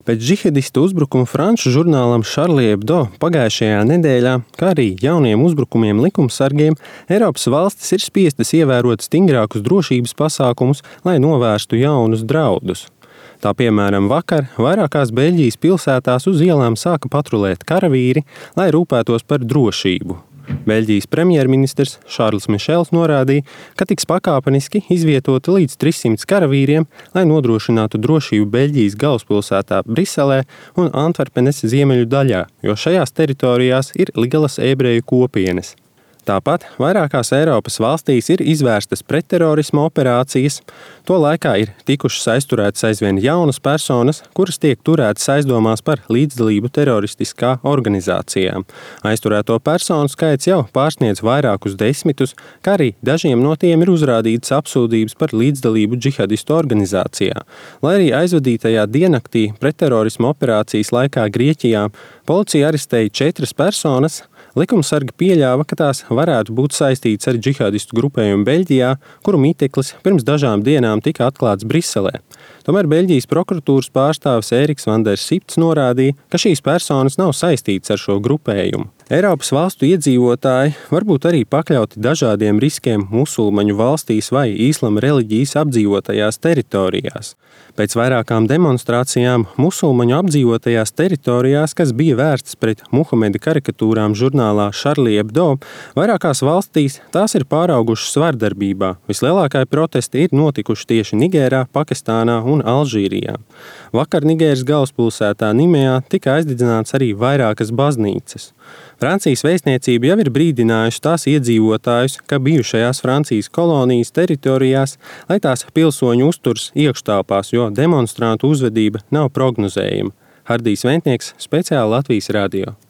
Pēc džihadistu uzbrukuma franču žurnālam Charlie Hebdo pagājušajā nedēļā, kā arī jauniem uzbrukumiem likumsargiem, Eiropas valstis ir spiestas ievērot stingrākus drošības pasākumus, lai novērstu jaunus draudus. Tā piemēram vakar vairākās Beļģijas pilsētās uz ielām sāka patrulēt karavīri, lai rūpētos par drošību. Beļģijas premjerministrs Šārls Mišels norādīja, ka tiks pakāpeniski izvietoti līdz 300 karavīriem, lai nodrošinātu drošību Beļģijas galvaspilsētā Briselē un Antverpenes ziemeļu daļā, jo šajās teritorijās ir lielas ebreju kopienas. Tāpat vairākās Eiropas valstīs ir izvērstas pretterorisma operācijas. To laikā ir tikušas aizturētas aizvien jaunas personas, kuras tiek turētas aizdomās par līdzdalību teroristiskā organizācijā. Aizturēto personu skaits jau pārsniedz vairākus desmitus, kā arī dažiem no tiem ir uzrādītas apsūdzības par līdzdalību džihadistu organizācijā. Lai arī aizvadītajā diennaktī pretterorisma operācijas laikā Grieķijā policija arestēja 4 personas, likumsargi pieļāva, ka tās varētu būt saistītas ar džihadistu grupējumu Beļģijā, kuru mīteklis pirms dažām dienām tika atklāts Briselē. Tomēr Beļģijas prokuratūras pārstāvis Ēriks van der Sipts norādīja, ka šīs personas nav saistītas ar šo grupējumu. Eiropas valstu iedzīvotāji var būt arī pakļauti dažādiem riskiem musulmaņu valstīs vai īslama reliģijas apdzīvotajās teritorijās. Pēc vairākām demonstrācijām musulmaņu apdzīvotajās teritorijās, kas bija vērstas pret Muhameda karikatūrām žurnālā Charlie Hebdo, vairākās valstīs tās ir pāraugušas vardarbībā. Vislielākie protesti ir notikuši tieši Nigērā, Pakistānā un Alžīrijā. Vakar Nigēras galvaspilsētā Nimejā tika aizdedzināts arī vairākas baznīcas. Francijas vēstniecība jau ir brīdinājusi tās iedzīvotājus, ka bijušajās Francijas kolonijas teritorijās, lai tās pilsoņu uzturs iekštelpās, jo demonstrantu uzvedība nav prognozējama. Hardijs Ventnieks, speciāli Latvijas radio.